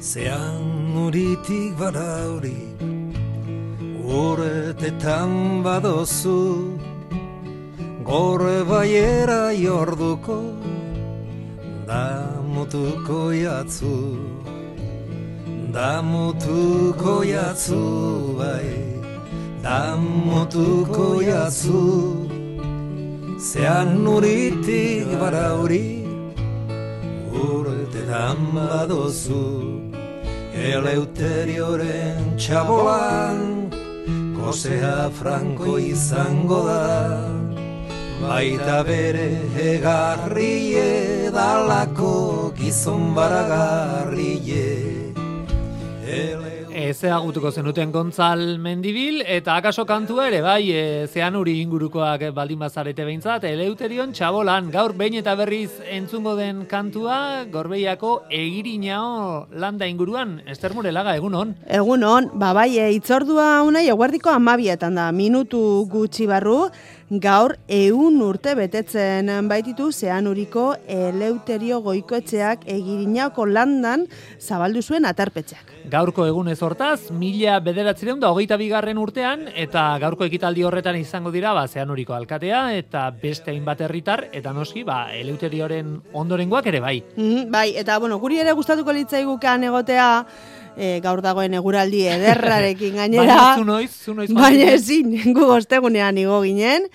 Zean uritik barauri, urtetan badozu, gore baiera jorduko, damutuko jatzu, bai, damutuko jatzu. Zean uritik barauri, urtetan badozu, Eleuterioren txabolan, gozea franko izango da, baita bere egarrie, dalako gizon baragarrie. Ezagutuko zenuten Gontzal Mendibil, eta akaso kantua ere, bai, Zeanuri ingurukoak baldin bazarete behintzat, Eleuterion txabolan, gaur behin eta berriz entzungo den kantua, Gorbeiako Egirinao landa inguruan, Ester Murelaga, egunon? Egunon, bai, itzordua unai, eguerdiko 12 da, minutu gutxi barru, gaur 100 urte betetzen baititu Zeanuriko Eleuterio Goikoetxeak Egirinaoko landan zabaldu zuen aterpetxeak. Gaurko egunez hortaz, 1922 urtean, eta gaurko ekitaldi horretan izango dira Zeanuriko alkatea, eta beste hainbat herritar, eta noski, Eleuterioren ondorengoak ere bai. Bai, eta guri ere gustatuko litzaigukean egotea, gaur dagoen eguraldi ederrarekin gainera. Baina zu noiz. Baina ezin, gu ostegunean igo ginen.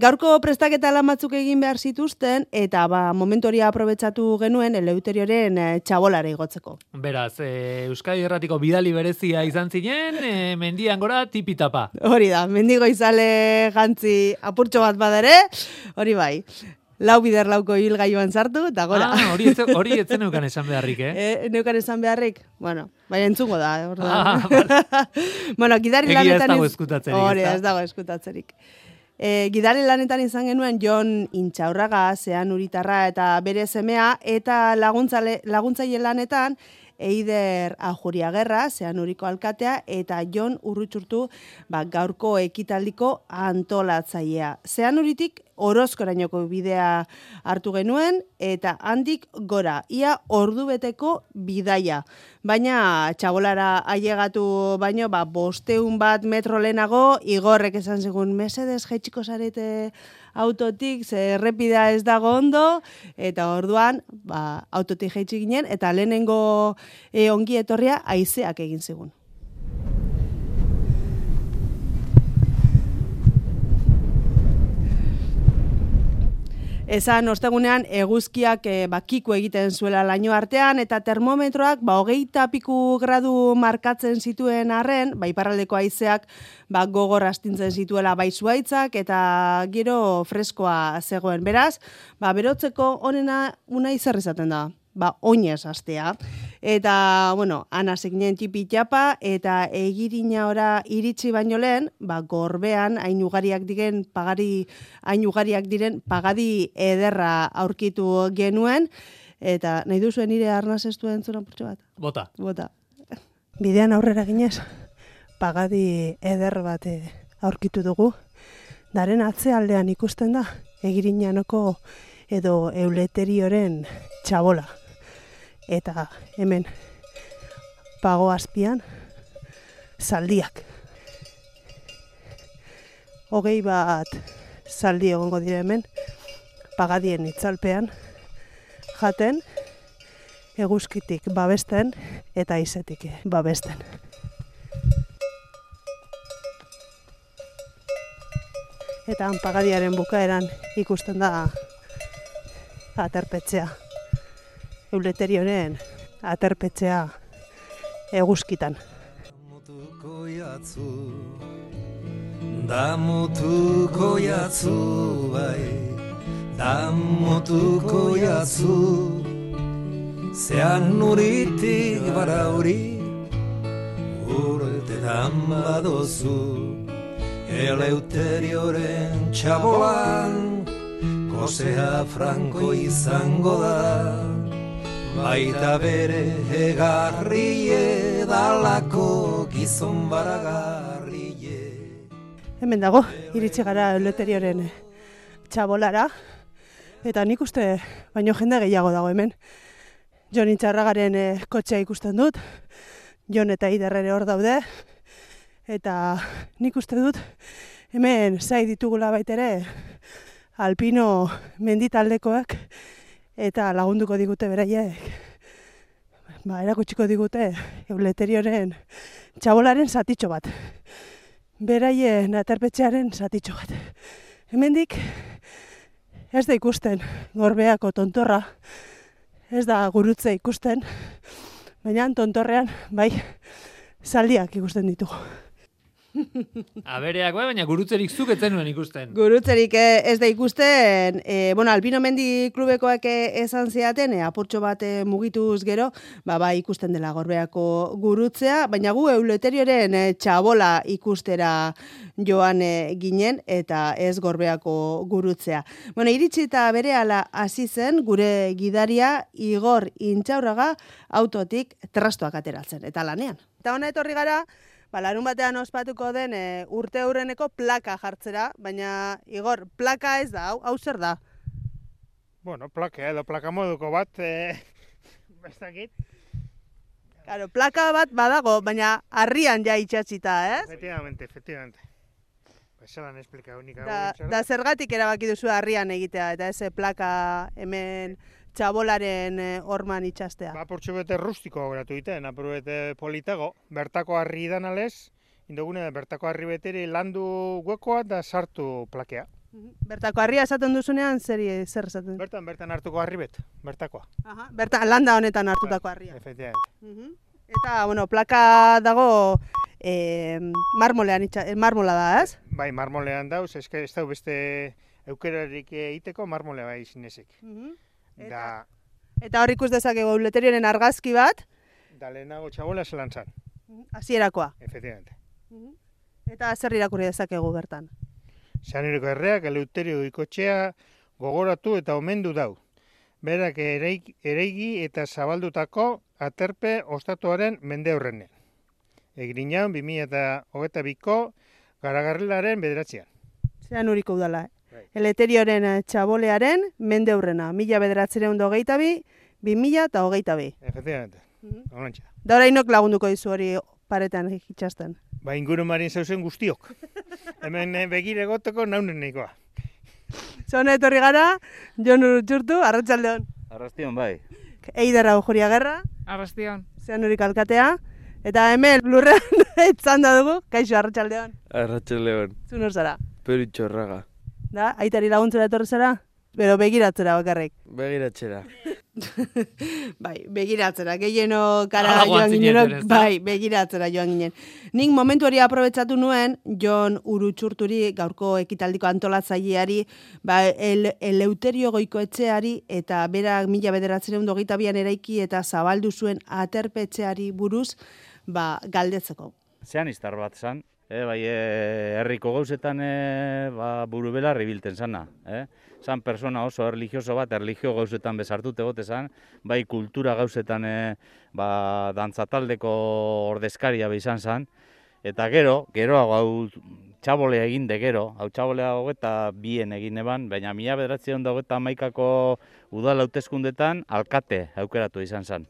Gaurko prestaketa lan batzuk egin behar zituzten, eta momentu hori aprobetxatu genuen Eleuterioren txabolara igotzeko. Beraz, Euskadi Erratiko bidali berezia izan zinen, mendian gora tipitapa. Hori da, mendigo izale jantzi apurtxo bat badere, hori bai. 4 bider 4 hilgailuan sartu, eta gora. Hori etzen neukan esan beharrik, Neukan esan beharrik? Bueno, baina entzungo da, Egia ez dago eskutatzerik. Hori, ez dago eskutatzerik. Gidari lanetan izan genuen Jon Intxaurraga, Zeanuritarra eta bere semea, eta laguntzaile lanetan Eider Ajuriagerra, Zeanuriko alkatea, eta Jon Urrutxurtu gaurko ekitaldiko antolatzailea. Zeanuritik Orozkorainoko bidea hartu genuen, eta handik gora, ia ordubeteko bidaia. Baina txabolara ailegatu baino, 500 metro lehenago, Igorrek esan zigun, mesedez jaitsiko zarete autotik, ze errepidea ez dago ondo, eta orduan, autotik jaitsi ginen, eta lehenengo ongi etorria haizeak egin zigun. Esan ostegunean eguzkiak kiku egiten zuela laino artean, eta termometroak 20 gradu markatzen zituen arren, iparraldeko haizeak gogor astintzen zituela zuhaitzak, eta gero freskoa zegoen. Beraz, berotzeko onena unai zer izaten da? Oinez astea. Eta, anasek nien tipi-txapa, eta Egirina ora iritsi baino lehen, Gorbean hain ugariak diren pagadi ederra aurkitu genuen, eta nahi duzuen nire arnaz ez duen zuen apurtxo bat? Bota. Bidean aurrera ginez, pagadi eder bat aurkitu dugu, daren atzealdean ikusten da, Egirinanoko edo Eleuterioren txabola. Eta hemen pago azpian zaldiak. 20 zaldi egongo dira hemen, pagadien itzalpean, jaten, eguzkitik babesten eta haizetik babesten. Eta pagadiaren bukaeran ikusten da aterpetxea. Eleuterioren aterpetxea eguzkitan. Damutuko jatzu, bai, damutuko jatzu, Zeanuritik barauri, urtetan badozu, Eleuterioren txabolan, gozea franko izango da, baita bere egarrie, dalako gizon baragarrie. Hemen dago, iritsi gara Eleuterioren txabolara, eta nik uste baino jende gehiago dago hemen. Jon Intxaurragaren kotxea ikusten dut, Jon eta Eider ere hor daude, eta nik uste dut hemen zai ditugula baitere alpino menditaldekoak eta lagunduko digute beraiek. Erakutsiko digute Eleuterioren txabolaren zatitxo bat. Beraien aterpetxearen zatitxo bat. Hemendik ez da ikusten Gorbeako tontorra, ez da gurutze ikusten, baina tontorrean bai zaldiak ikusten ditugu. Abereak bai, baina gurutzerik zuk ez zenuen ikusten. Gurutzerik ez da ikusten, Alpino Mendi klubekoak esan ziaten, apurtxo bat mugituz gero, bai ikusten dela Gorbeako gurutzea, baina gu Eleuterioren txabola ikustera joan ginen, eta ez Gorbeako gurutzea. Iritsi eta berehala hasi zen gure gidaria Igor Intxaurraga autotik trastoak ateratzen, eta lanean. Eta hona etorri gara, larun batean ospatuko den urte hurreneko plaka jartzera, baina Igor, plaka ez da, hau zer da? Bueno, plaka edo plaka moduko bat, bestakit. Claro, plaka bat badago, baina harrian ja itxatzita, ez? Efectivamente. Esalan esplika unika. Da zergatik erabaki duzu harrian egitea, eta ez plaka hemen txabolaren horman itxastea. Apurtxo bete rustiko gratu egiten, apurtxo bete politago, bertako harri idan alez, indogune bertako harri beteri landu guekoa da sartu plakea. Bertako harria esaten duzunean, zer esaten? Bertan hartuko harri bertakoa. Landa honetan hartutako harria. Efectivamente. Eta, plaka dago marmola da, ez? Bai, marmolean dauz, ez da beste eukerarik egiteko marmolea bai zinezik. Eta hor ikus dezakegu Eleuterioren argazki bat? Da lehenago txabola zelan zan. Hasierakoa. Efectivamente. Eta zer irakurri dezakegu bertan? Zanireko erreak Eleuterio ikotxea gogoratu eta omendu dau. Berak ereigi eta zabaldutako aterpe ostatuaren mende horrenean. Egriñaun 2022ko Garagarrilaren 9. Zean uriko udala, Eleuterioren txabolearen mende hurrena, 1922, 2022. Efectivamente, honantxa. Da orainok lagunduko dizu hori paretan itxasten. Ingurumarin zauzen guztiok. Hemen begire goteko naunen nahikoa. Zona etorri gara, Jon Urutxurtu, arratsaldeon. Arrastion bai. Eider Aujuriagerra. Arrastion. Zean urik alkatea. Eta hemen lurrean etzanda dugu, kaixo arratsaldeon. Arratsaldeon. Zu nor zara? Peru Intxaurraga. Da, aitari laguntzera etorri zara? Bero begiratzera bakarrik. Begiratzera. Bai, begiratzera, gehieno kara joan ginen, bai, begiratzera joan ginen. Nik momentu hori aprobetsatu nuen, Jon Urutxurturi, gaurko ekitaldiko antolatzaileari, Eleuterio Goikoetxeari, eta berak 1922an eraiki eta zabaldu zuen aterpetxeari buruz, galdetzeko. Zean iztar bat zan, herriko gauzetan buru belarri bilten zana. Zan persona oso erligioso bat, erligio gauzetan bezartut egote zan, bai kultura gauzetan dantzataldeko ordezkaria izan zan, eta geroago hau txabolea egin de gero, hau txabolea hogeta bien egin eban, baina 1921ko udal hauteskundetan alkate aukeratu izan zan.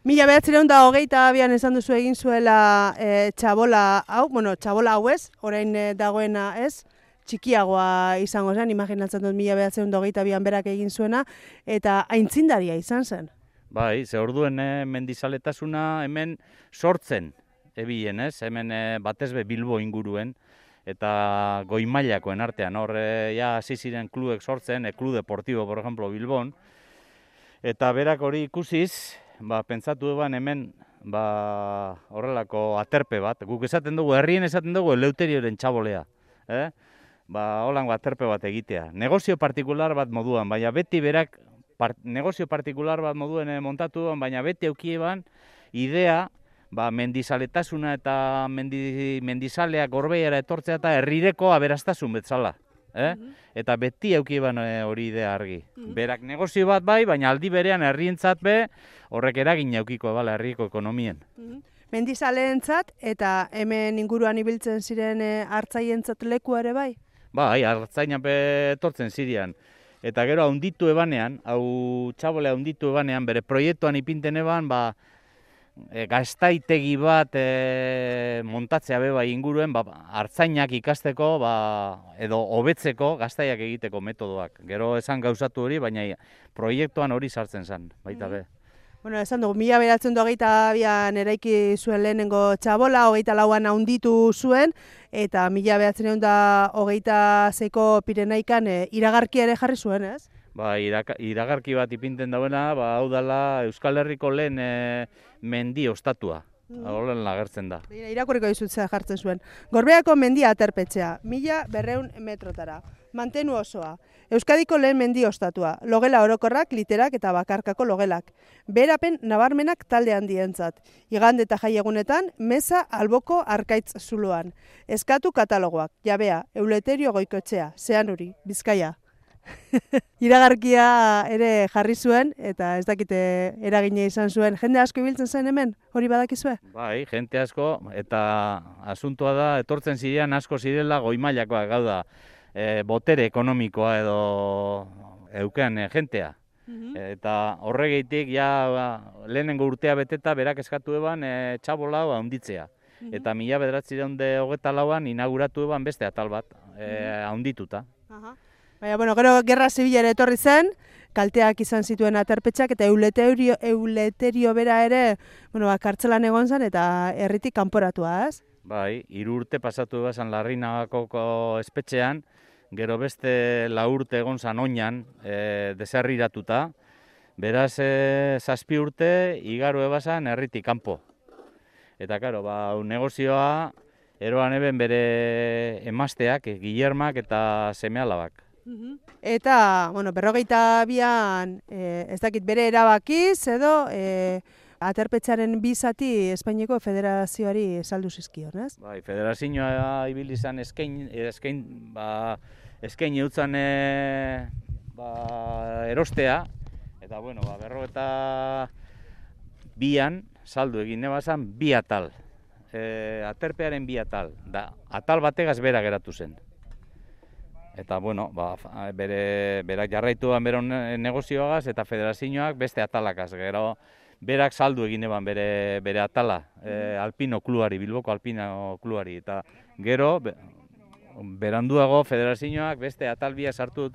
1922an esan duzu egin zuela txabola hau, txabola hau ez, orain dagoena ez, txikiagoa izango zen, imaginatzen dut 1922an berak egin zuena, eta aintzindaria izan zen. Bai, ze orduen mendizaletasuna hemen sortzen ebien, ez? Hemen batezbe Bilbo inguruen, eta goi mailakoen artean, hor hasi ziren klubek sortzen, Club Deportivo, por ejemplo, Bilbon, eta berak hori ikusiz, pentsatu eban hemen horrelako aterpe bat, guk esaten dugu, herrien esaten dugu Eleuterioren txabolea, holango aterpe bat egitea. Negozio partikular bat moduan, baina beti berak negozio partikular bat moduen montatu duan, baina beti eukieban idea mendizaletasuna eta mendizaleak Gorbeiara etortzea eta herrireko aberastasun betzala. Eta beti eukieban hori idea argi. Berak negozio bat bai, baina aldi berean herrientzat horrek eragin eukiko herriko ekonomien. Mendizaleentzat eta hemen inguruan ibiltzen ziren hartzaientzat leku ere bai? Bai, hartzainan etortzen ziren. Eta gero haunditu ebanean, hau txabole haunditu ebanean, bere proiektuan ipinten eban, gaztaitegi bat montatzea beba inguruen, hartzainak ikasteko, edo hobetzeko gaztaiak egiteko metodoak. Gero esan gauzatu hori, baina proiektuan hori sartzen zen, baita be. Bueno, esan dugu, 1922an eraiki zuen lehenengo txabola, 24an haunditu zuen, eta 1926ko Pirenaikan iragarkia ere jarri zuen, ez? Iragarki bat ipinten dauena, hau dela Euskal Herriko lehen mendi ostatua. Horren agertzen da. Irakurriko dizutzea jartzen zuen. Gorbeako mendia aterpetxea, 1200 metrotara. Mantenu osoa. Euskadiko lehen mendi ostatua. Logela orokorrak, literak eta bakarkako logelak. Beherapen nabarmenak talde handientzat. Igande eta jaiegunetan, meza alboko arkaitz zuloan. Eskatu katalogoak, jabea, Euleterio Goikoetxea, Zeanuri, Bizkaia. Iragarkia ere jarri zuen, eta ez dakite eragina izan zuen. Jende asko ibiltzen zen hemen, hori badakizue? Bai, jente asko, eta asuntua da, etortzen zirean asko zirela goi-mailakoak, gau da, botere ekonomikoa edo eukean jentea. Eta horregeitik, lehenengo urtea beteta, berak eskatu eban txabola handitzea. Eta 1924an inauguratu eban beste atal bat, handituta. Baina, bueno, gero Gerra Zibilera etorri zen, kalteak izan zituen aterpetxak, eta Euleterio bera ere, bueno, kartzelan egon zen, eta herritik kanporatua, ez? Bai, 3 urte pasatu bezan Larrinagako espetxean, gero beste 4 urte egon zan oinan, deserriratuta, beraz 7 urte igaro ebazan herritik kanpo. Eta, karo, negozioa, eroan eben bere emazteak, Guillermak eta seme-alabak. Eta, bueno, 52an, ez dakit bere erabakiz, edo aterpetxaren 2 zati Espainiako Federazioari saldu zizkion, ez? Bai, federazioa ibili izan eskain eutzan erostea, eta, bueno, 52an saldu egin ebazan 2 atal. Aterpearen 2 atal, da, atal bategaz bera geratu zen. Eta, bueno, berak jarraituan bero negozioagaz eta federazioak beste atalakaz. Gero, berak saldu egin eban bere atala, Alpino Kluari, Bilboko Alpino Kluari. Eta gero, beranduago federazioak beste atalbia saldu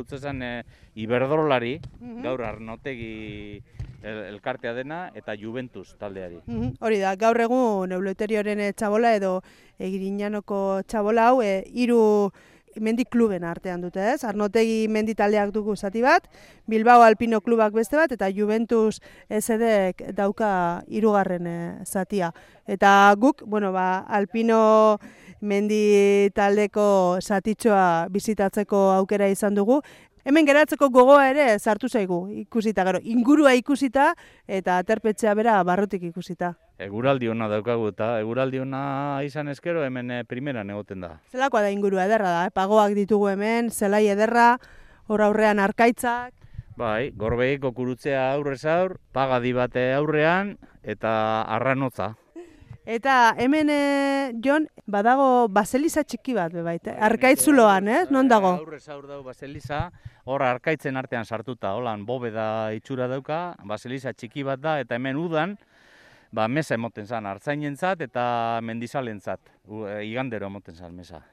dutzen Iberdrolari, gaur Arnotegi elkartea dena, eta Juventus taldeari. Hori da, gaur egun Euleterioren txabola edo Egirinanoko txabola hau, 3 mendi kluben artean dute, ez? Arnotegi mendi taldeak dugu zati bat, Bilbao Alpino Klubak beste bat, eta Juventus SD-ek dauka 3. zatia. Eta guk, bueno, Alpino mendi taldeko zatitxoa bizitatzeko aukera izan dugu. Hemen geratzeko gogoa ere sartu zaigu, ikusita, gero, ingurua ikusita eta aterpetxea bera barrutik ikusita. Eguraldi ona daukagu eta eguraldi ona izan ezkero hemen primeran egoten da. Zelakoa da ingurua ederra da, pagoak ditugu hemen, zelai ederra, hor aurrean arkaitzak. Bai, Gorbeiko kurutzea aurrez aur, pagadi bate aurrean eta arranotza. Eta hemen, Jon, badago baseliza txiki bat, bebait, arkaitzuloan, ez? Non dago? Aurrez aur dago baseliza, hor arkaitzen artean sartuta, holan bobeda itxura dauka, baseliza txiki bat da, eta hemen udan, mesa emoten zan, hartzainentzat eta mendizalentzat, igandero emoten zan mesa.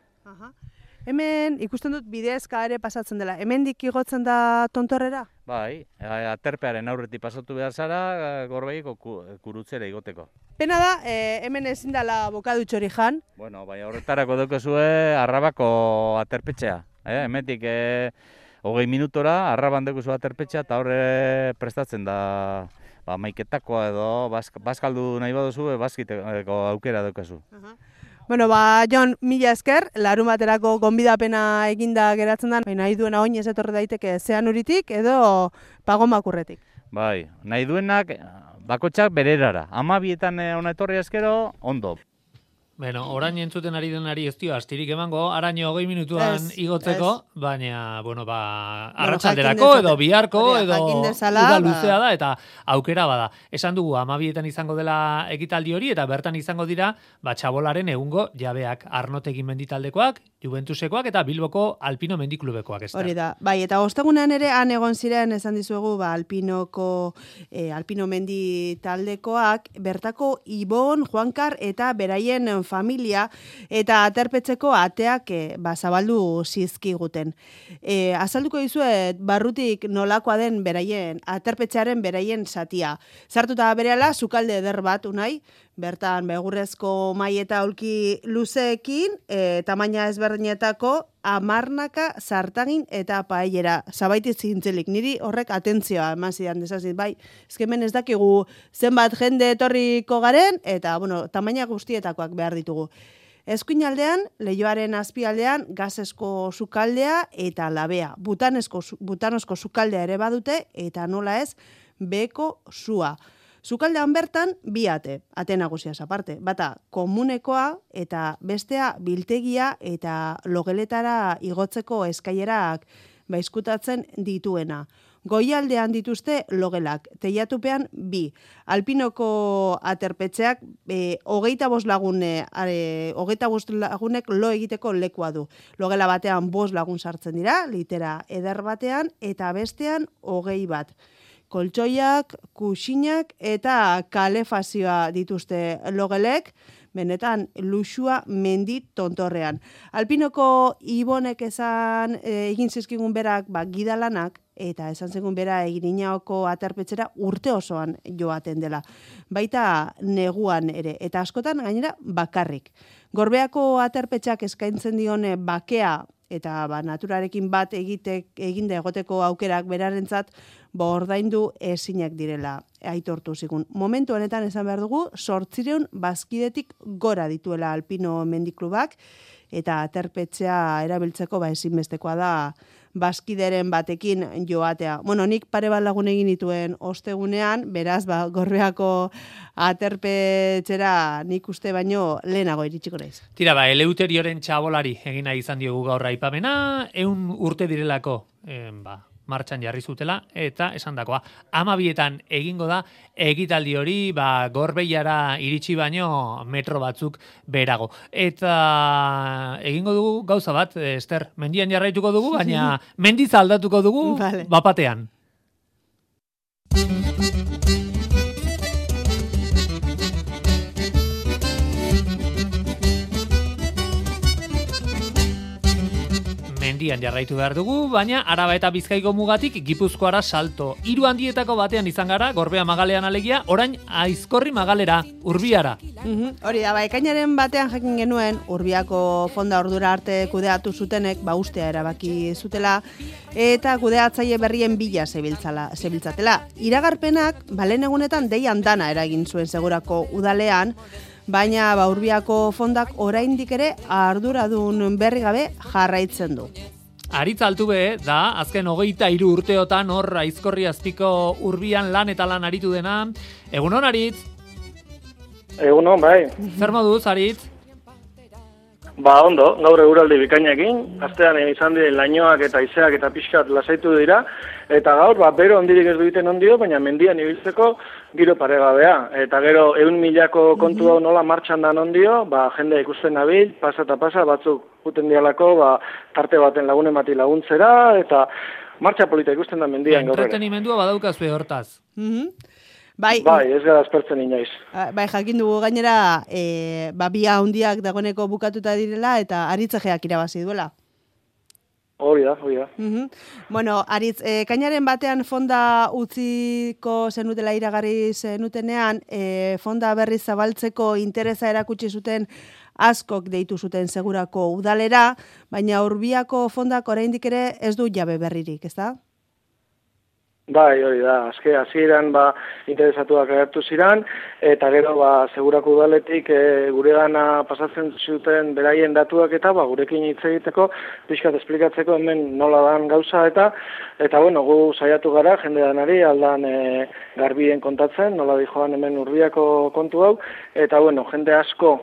Hemen ikusten dut bidezka ere pasatzen dela, hemendik igotzen da tontorrera? Bai, aterpearen aurretik pasatu behar zara, Gorbeiko kurutzera igoteko. Pena da, hemen ezin dela bokadutxori jan. Bueno, bai, horretarako daukezue Arrabako aterpetxea. Hemetik 20 minutora Arraban daukezu aterpetxea eta horre prestatzen da maiketakoa edo bazkaldu nahi baduzu, bazkiteko aukera daukezu. Bueno, Jon, mila esker, larun baterako gonbidapena eginda geratzen da, nahi duena oinez etorri daiteke Zeanuritik edo Pagomakurretik. Bai, nahi duenak bakotxak bererara, 12etan ona etorri eskero, ondo. Bueno, orain entzuten ari denari ez dio astirik emango, araño 20 minutuan igotzeko, baina, bueno, arratsalderako edo biharko edo uda luzea da eta aukera bada. Esan dugu 12etan izango dela ekitaldi hori eta bertan izango dira txabolaren egungo jabeak, Arnotegi menditaldekoak, Juventusekoak eta Bilboko Alpino mendiklubekoak. Hori da, bai, eta ostegunean ere han egon ziren esan dizuegu Alpino menditaldekoak, bertako Ibon, Juankar eta beraien familia eta aterpetzeko ateak zabaldu zizkiguten. Azalduko dizuet barrutik nolakoa den beraien, aterpetzearen beraien zatia. Zartuta berehala, sukalde eder bat unai, bertan begurrezko mai eta aulki luzeekin, tamaina ezberdinetako amarnaka zartagin eta paellera. Zabaitiz zintzelik, niri horrek atentzioa eman zidan desazit, bai, ezkemen ez dakigu zenbat jende etorriko garen, eta, bueno, tamaina guztietakoak behar ditugu. Eskuinaldean, Leioaren azpialdean, gazesko sukaldea eta labea. Butanosko sukaldea ere badute, eta nola ez, beko sua. Sukaldean bertan, bi ate nagusiaz aparte. Bata, komunekoa eta bestea biltegia eta logeletara igotzeko eskailerak izkutatzen dituena. Goialdean dituzte logelak, teiatupean bi. Alpinoko aterpetxeak 25 lagunek lo egiteko lekua du. Logela batean 5 lagun sartzen dira, litera eder batean, eta bestean 20 bat. Koltsoiak, kuxinak eta kalefazioa dituzte logelek, benetan luxua mendi tontorrean. Alpinoko Ibonek egin zizkigun berak gidalanak, eta esan zegoen bera Eginaoko aterpetxera urte osoan joaten dela. Baita neguan ere, eta askotan gainera bakarrik. Gorbeako aterpetxak eskaintzen dione bakea, eta naturarekin bat eginde egoteko aukerak berarentzat ordaindu ezinak direla aitortu zigun. Momentu honetan esan behar dugu, 800 bazkidetik gora dituela Alpino mendiklubak, eta aterpetxea erabiltzeko ezinbestekoa da bazkideren batekin joatea. Bueno, nik pare bat lagun egin dituen ostegunean, beraz, Gorbeako aterpetxera nik uste baino lehenago iritsiko naiz. Tira, Eleuterioren txabolari egina izan diogu gaur aipamena, 100 urte direlako, martxan jarri zutela, eta esandakoa 12etan egingo da ekitaldi hori Gorbeiara iritsi baino metro batzuk berago. Eta egingo dugu gauza bat, Ester, mendian jarraituko dugu, baina mendiz aldatuko dugu bapatean. Mendian jarraitu behar dugu, baina Araba eta Bizkaiko mugatik Gipuzkoara salto. 3 handietako batean izan gara, Gorbea Magalean alegia, orain Aizkorri Magalera, Urbiara. Hori da, ekainaren batean jakin genuen, Urbiako fonda ordura arte kudeatu zutenek, ustea erabaki zutela, eta kudeatzaile berrien bila zebiltzatela. Iragarpenak, balen egunetan deian dana eragin zuen segurako udalean, baina Urbiako fondak oraindik ere arduradun berri gabe jarraitzen du. Aritz Altube da, azken 23 urteotan hor Aizkorri azpiko Urbian lan eta lan aritu dena. Egunon, Aritz? Egunon, bai. Zer moduz, Aritz? Ondo, gaur eguraldi bikainekin, astean izan diren lainoak eta izeak eta pixkat lasaitu dira, eta gaur, bero ondirik ez duiten ondio, baina mendian ibiltzeko giro paregabea. Eta gero, 100.000ko kontu hau nola martxan dan ondio, jendea ikusten nabil, pasa eta pasa, batzuk guten dialako, tarte baten lagunen bati laguntzera, eta martxa polita ikusten da mendian gaur ere. Entretenimendua badaukazue hortaz. Bai, ez gara aspertzen inoiz. Bai, jakin dugu gainera, bia handiak dagoeneko bukatuta direla, eta Aritzejeak irabazi duela. Hori da. Bueno, Aritz, kainaren batean fonda utziko zenutela iragarri zenutenean, fonda berriz zabaltzeko interesa erakutsi zuten askok deitu zuten segurako udalera, baina Urbiako fondak oraindik ere ez du jabe berririk, ezta? Bai, hori da, hasieran interesatuak agertu ziren, eta gero segurako udaletik guregana pasatzen zuten beraien datuak eta gurekin hitz egiteko, pixkat esplikatzeko hemen nola dan gauza eta bueno, gu saiatu gara, jende danari aldan garbien kontatzen, nola dijoan hemen Urbiako kontu hau, eta bueno, jende asko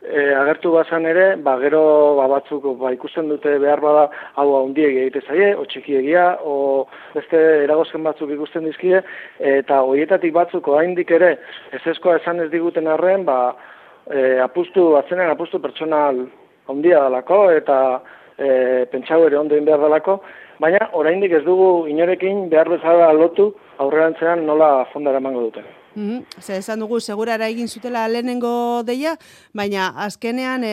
agertu bazan ere, gero batzuk ikusten dute behar bada hau handiegi egite zaie, o txikiegia, o beste eragozken batzuk ikusten dizkie, eta horietatik batzuk oraindik ere ezeskoa esan ez diguten arren, apustu pertsonal handia dalako, eta pentsau ere ondo egin behar dalako, baina oraindik ez dugu inorekin behar bezala lotu aurrerantzean nola fondara emango duten. Ze esan dugu, segurara egin zutela lehenengo deia, baina azkenean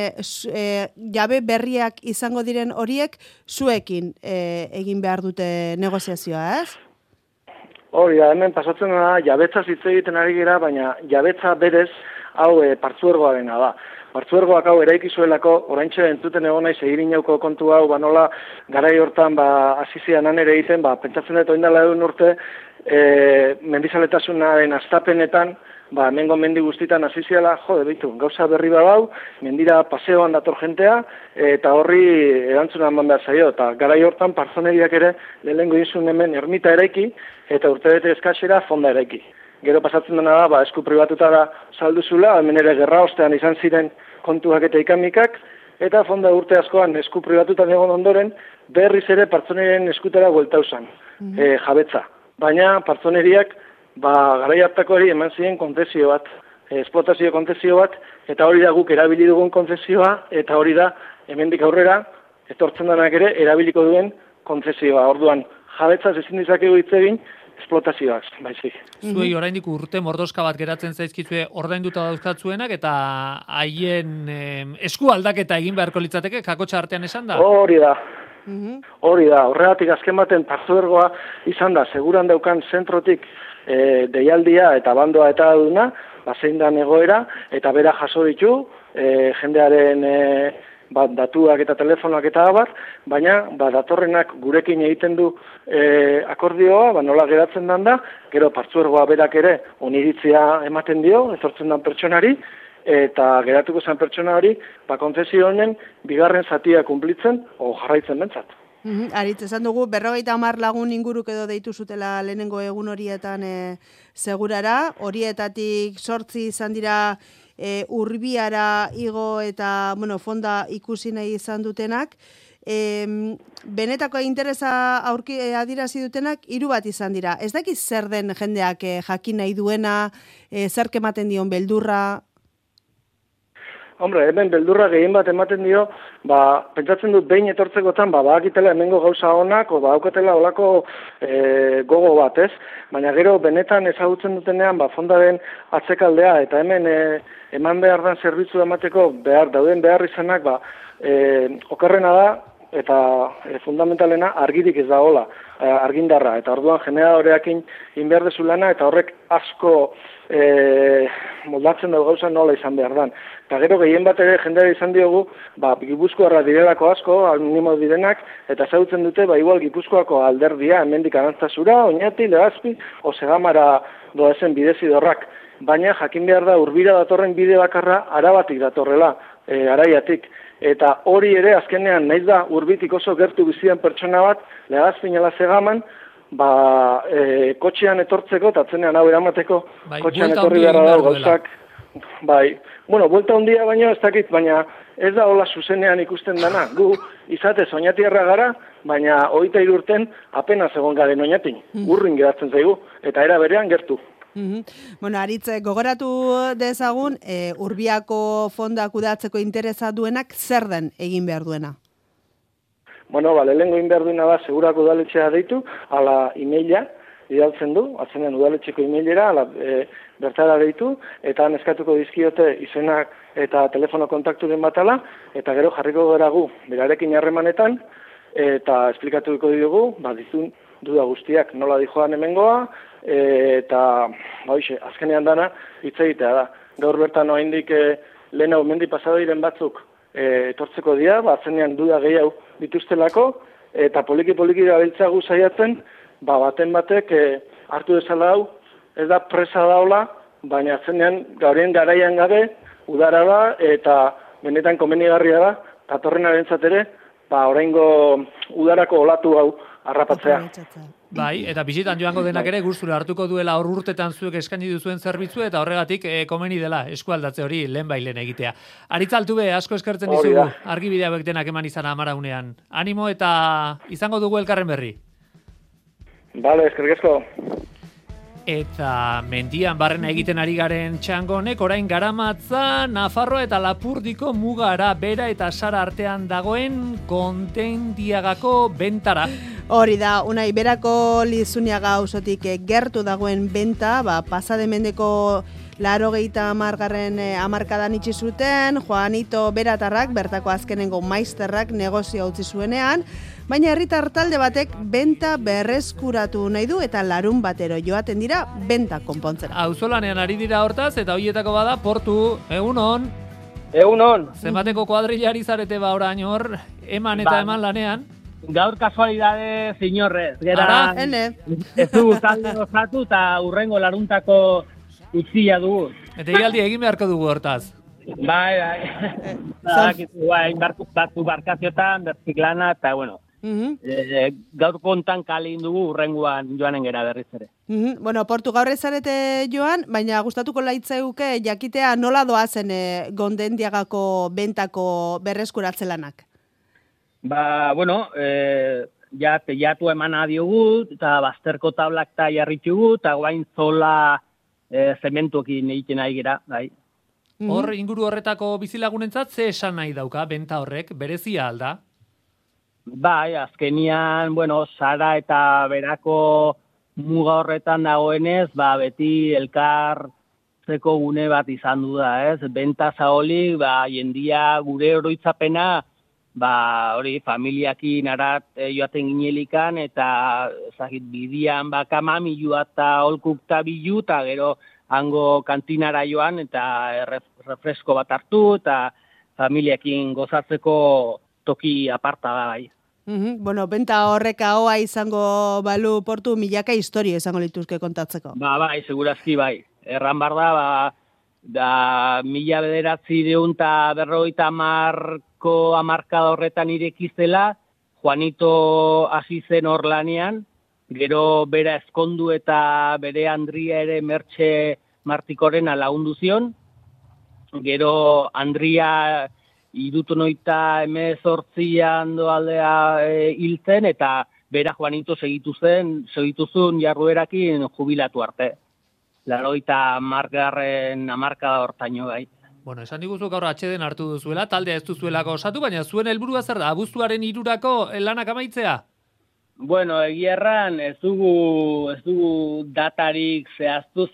jabe berriak izango diren horiek zuekin egin behar dute negoziazioa, ez? Hori da, hemen pasatzen da, jabetza hitz egiten ari gira, baina jabetza berez hau partzuergoarena da. Partzuergoak hau eraikizuelako, oraintxe entzuten egon naiz egirinauko kontu hau, nola garai hortan hasizian ere egiten, pentsatzen dut oindala egun urte, mendizaletasunaren astapenetan, hemengo mendi guztitan hasiziala, gauza berri badau, mendira paseoan dator jentea, eta horri erantzuna eman behar zaio, eta garai hortan partzoneriak ere lehenengo izun hemen ermita eraiki, eta urtebete eskasera fonda eraiki. Gero pasatzen dena da, esku pribatutara salduzula, hemen ere gerra ostean izan ziren kontuak eta ikamikak, eta fonda urte askoan esku pribatutan egon ondoren, berriz ere partzoneriaren eskutara bueltauzan, jabetza. Baina partzoneriak, garai hartako hori eman ziren kontzesio bat, esplotazio kontzesio bat, eta hori da guk erabili dugun kontzezioa, eta hori da hemendik aurrera, etortzen denak ere erabiliko duen kontzesioa. Orduan, jabetzaz ezin dizakegu hitz egin, esplotazioak, baizik. Zuei oraindik urte mordoska bat geratzen zaizkizue ordainduta dauzkatzuenak eta haien esku aldaketa egin beharko litzateke kakotxa artean esan da? Hori da. Horregatik azken baten partzuergoa izan da, seguran daukan zentrotik deialdia eta bandoa eta duna, zein da egoera, eta bera jaso ditu, jendearen datuak eta telefonoak eta abar, baina datorrenak gurekin egiten du akordioa, nola geratzen dan da, gero partzuergoa berak ere oniritzia ematen dio, etortzen dan pertsonari, eta geratuko zen pertsona hori, kontzesio honen bigarren zatia kunplitzen, o jarraitzen bentsat. Aritz, esan dugu, 50 lagun inguruk edo deitu zutela lehenengo egun horietan segurara, horietatik 8 izan dira Urbiara igo eta fonda ikusi nahi izan dutenak, benetako interesa adierazi dutenak 3 bat izan dira. Ez dakiz zer den jendeak jakin nahi duena, zer ematen dion beldurra? Hombre, hemen beldurra gehien bat ematen dio, pentsatzen dut behin etortzekotan, badakitela hemengo gauza honak, badaukatela olako gogo bat, ez? Baina gero benetan ezagutzen dutenean, fondaren atzekaldea, eta hemen eman behar dan zerbitzu emateko dauden behar izanak, okerrena da, eta fundamentalena argirik ez da hola, argindarra, eta orduan generadoreakin inberdezu lana, eta horrek asko moldatzen dugu gauza nola izan behar dan. Eta gero gehien bat ere jendea izan diogu, Gipuzkoarra direlako asko, minimo direnak, eta ezagutzen dute, igual Gipuzkoako alderdia, hemendik Arantzazura, Oñati, Legazpi, Osegamara doazen bidezidorrak. Baina jakin behar da Urbira datorren bide bakarra Arabatik datorrela, Araiatik. Eta hori ere azkenean naiz da Urbitik oso gertu bizian pertsona bat, Legazpin ala Segaman, kotxean etortzeko, eta atzenean hau eramateko, kotxean etorri behar da gauzak. Buelta handia baino ez dakit, baina ez da hola zuzenean ikusten dana. Gu izatez Oñatiarra gara, baina 23 urten apenas egon garen Oñatin. Urrin geratzen zaigu, eta era berean gertu. Aritz, gogoratu dezagun, Urbiako fonda kudeatzeko interesa duenak zer den egin behar duena? Lehenengo egin behar duena da, segurako udaletxea deitu, ala emaila idaltzen du, atzenean udaletxeko emailera, bertara deitu, eta han eskatuko dizkiote izenak eta telefono kontakturen batala, eta gero jarriko gara gu, berarekin harremanetan, eta esplikatuko diogu, dizun duda guztiak nola dijoan hemengoa, eta azkenean dana hitz egitea da. Gaur bertan oraindik lehen hau mendi pasadoiren batzuk etortzeko dira, atzenean duda gehiago dituztelako, eta poliki-poliki gabiltzagu saiatzen, baten batek hartu dezala hau, ez da presa daula, baina zenean gaurien garaian gabe, udara da, eta benetan komenigarria da, datorrenaren ere, oraingo udarako olatu hau harrapatzea. Bai, eta bisitan joango denak ere gustura hartuko duela hor urtetan zuek eskaini duzuen zerbitzu eta horregatik komeni dela eskualdatze hori lehen egitea. Aritz Altube, asko eskertzen dizugu, argibide hauek denak eman izan Amaraunean. Animo eta izango dugu elkarren berri. Bale, eskerrik asko. Eta mendian barrena egiten ari garen txango honek orain garamatza Nafarroa eta Lapurdiko mugara bera eta Sara artean dagoen Kontendiagako bentara. Hori da, Unai, berako Lizuniaga auzotik gertu dagoen benta, pasade mendeko 80. hamarkadan itxi zuten, Juanito Beratarrak, bertako azkenengo maizterrak negozio utzi zuenean, baina herritar talde batek benta berreskuratu nahi du eta larun batero joaten dira benta konpontzera. Auzolanean ari dira hortaz eta hoietako bada Portu, egunon. Egunon. Zenbateko kuadrillari zarete orain hor, eman eta eman lanean? Gaur kasualidade zinorrez. Ara, ez dugu talde osatu eta urrengo laruntako utzia dugu. Eta ialdi egin beharko dugu hortaz. Bai. Batzu barkaziotan, berziklana, eta bueno. Gaur kontan kalin dugu urrengoan joanen gera berriz ere. Bueno, Portu gaur ezarete joan, baina gustatuko laitzeuke jakitea nola doazen Kontendiagako bentako berreskuratze lanak? Bueno, teiatu emana diogu, eta bazterko tablak eta jarritugu, eta guain zola zementuekin egiten nahi gira, bai. Hor, inguru horretako bizilagunentzat ze esan nahi dauka, benta horrek, berezia alda? Bai, azkenian, Sara eta berako muga horretan dagoenez, beti elkartzeko gune bat izan du da, ez? Benta zaholik, jendia gure oroitzapena, hori, familiakin arat joaten ginelikan, eta bidian kamamilua eta holkukta bilu, eta gero hango kantinara joan, eta refresko bat hartu, eta familiakin gozatzeko toki aparta da bai. Benta horrek ahoa izango balu Portu milaka historia izango lituzke kontatzeko. Bai, segurazki bai. Erran bar da 1950 hamarkada horretan irekizela, Juanito hasi zen hor lanean, gero bera ezkondu eta bere Andria ere Mertxe Martikorena lagundu zion, gero Andria 1918an doaldea hiltzen, eta bera Juanito segitu zuen jarruerakin jubilatu arte. 80. hamarkada hortaino bai. Esan diguzu gaur atxeden hartu duzuela, taldea ez duzuelako osatu, baina zuen helburua zer da, abuztuaren 3 lanak amaitzea? Egia erran, ez dugu datarik zehaztu,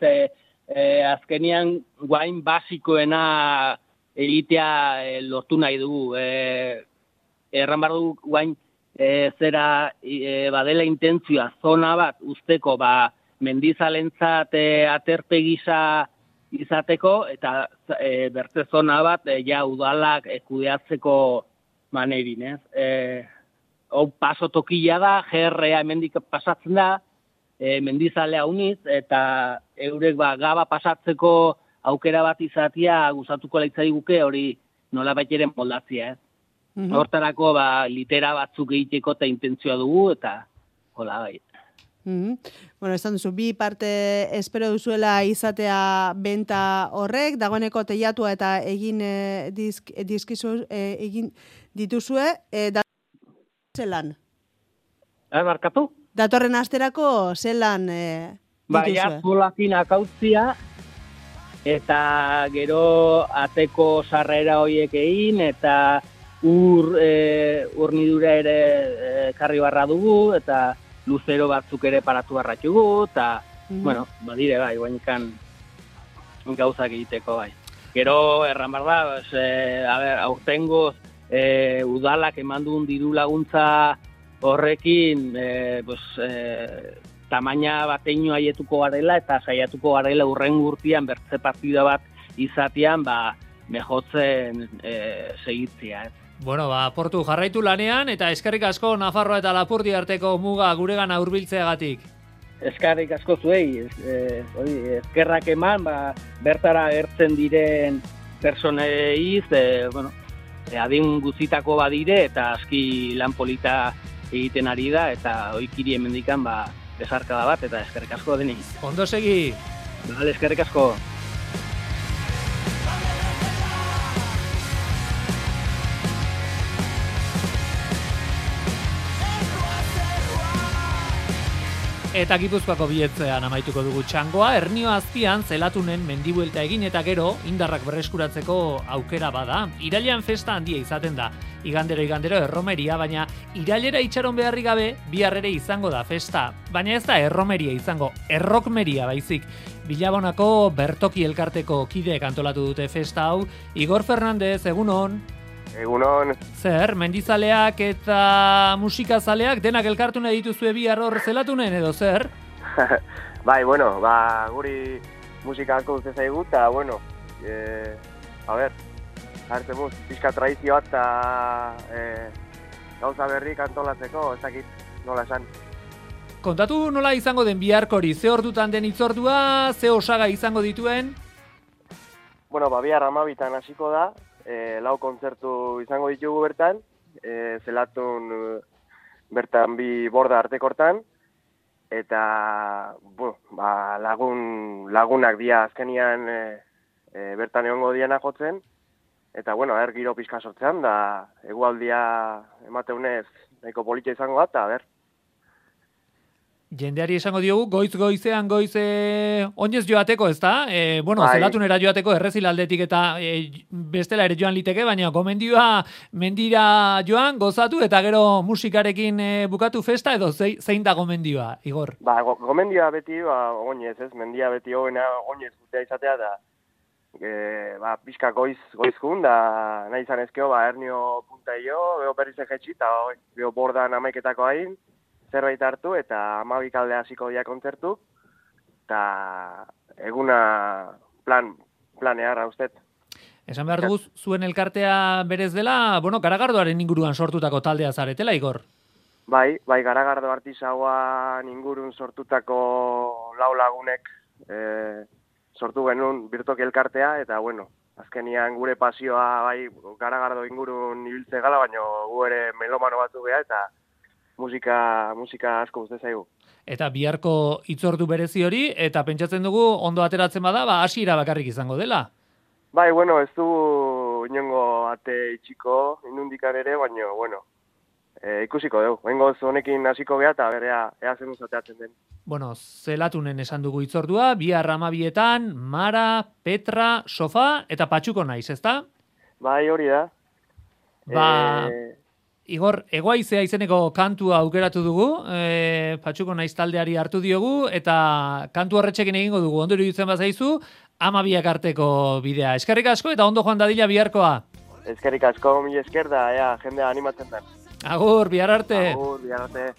azkenian guain basikoena egitea lortu nahi dugu. Erran behar dugu guain badela intentzioa zona bat usteko mendizalentzat aterpe gisa izateko, eta bertze zona bat udalak kudeatzeko manerin, ez? Hau paso tokila da, GRA hemendik pasatzen da, mendizalea uniz, eta eurek gaba pasatzeko aukera bat izatea gustatuko laitzaiguke hori nolabait ere moldatzea, ez? Hortarako litera batzuk egiteko eta intentzioa dugu, eta hola bai. Esan duzu, bi parte espero duzuela izatea benta horrek, dagoeneko teiatua eta egin egin dituzue, zelan? Barkatu? Datorren asterako zelan dituzue? Zolakin akautzia, eta gero ateko sarrera horiek egin, eta urnidura ere karri barra dugu, eta luzero batzuk ere paratu barratxugu, eta, badire bai, guainikan gauzak egiteko bai. Gero, erran behar da, aurtengoz, udalak eman duen diru laguntza horrekin, tamaina bateino haietuko garela, eta saiatuko garela urren gurtian bertze partida bat izatean, mejotzen segitzea, ez. Bueno, portu jarraitu lanean, eta eskerrik asko Nafarroa eta Lapurdi arteko muga guregana hurbiltzeagatik. Eskerrik asko zuei, eskerrak eman, bertara gertzen diren personeiz, adin guztitako badire, eta aski lan polita egiten ari da, eta oikiri hemendikan besarkada bat, eta eskerrik asko deni. Ondo segi! Vale, eskerrik asko! Eta Gipuzkoako biletzean amaituko dugu txangoa, Ernio azpian zelatunen mendibuelta egin eta gero indarrak berreskuratzeko aukera bada. Irailean festa handia izaten da. Igandero erromeria, baina irailera itxaron beharri gabe bihar ere izango da festa. Baina ez da erromeria izango, errokmeria baizik. Bilabonako Bertoki elkarteko kideek antolatu dute festa hau. Igor Fernandez, egunon. Egunon. Zer, mendizaleak eta musikazaleak denak elkartu nahi dituzue bihar hor zelatunen edo zer? Bai, guri musika asko dute zaigu, eta, hartzen muz, pixka tradizioa eta gauza berrik antolatzeko, ez dakit nola esan. Kontatu nola izango den biharkori, ze ordutan den itzordua, ze osaga izango dituen? Bihar 12 hasiko da, 4 kontzertu izango ditugu bertan, zelatun bertan 2 borda artekortan, eta lagunak dia azkenian bertan egongo diana jotzen, eta giro pixka sortzean, da egualdia emateunez nahiko politxa izango da, eta Jendeari esango diogu, goizean oinez joateko, ez da? Zelatunera joateko errezilaldetik eta bestela ere joan liteke, baina gomendioa mendira joan, gozatu, eta gero musikarekin bukatu festa, edo zein da gomendioa, Igor? Gomendioa beti, oinez, ez? Mendia beti hoena oinez gutea izatea, da pixka goizkun, da nahi izan ezkeo, Ernio puntaio, beho berriz egetxi, eta beho bordan amaiketako hain, zerbait hartu, eta 12 kalde hasiko dia kontzertu, eta eguna planear haustet. Esan behar dugu, zuen elkartea berez dela, Garagardoaren inguruan sortutako taldea zaretela, Igor? Bai, Garagardo artisauan ingurun sortutako 4 lagunek sortu genuen Bertoki elkartea, eta azkenian gure pasioa Garagardo ingurun ibiltze gala, baina gu ere melomano batzu geha, eta musika asko uste zaigu. Eta biharko itzordu berezi hori, eta pentsatzen dugu ondo ateratzen bada, hasiera bakarrik izango dela. Bai, ez du inongo ate itxiko, inundikan ere, baina, ikusiko dugu. Bengoz honekin hasiko geha, eta berea ea zen uzateatzen den. Zelatunen esan dugu itzordua, bihar 12etan, Mara, Petra, Sofa, eta Patxuko naiz, ezta? Bai, hori da. Igor, Egoaizea izeneko kantua aukeratu dugu, Patxuko naiz taldeari hartu diogu, eta kantu horretxekin egingo dugu, ondo iruditzen bazaizu, 12ak arteko bidea. Eskerrik asko eta ondo joan dadila biharkoa. Eskerrik asko, mila esker da, jendea animatzen da. Agur, bihar arte. Agur, bihar arte.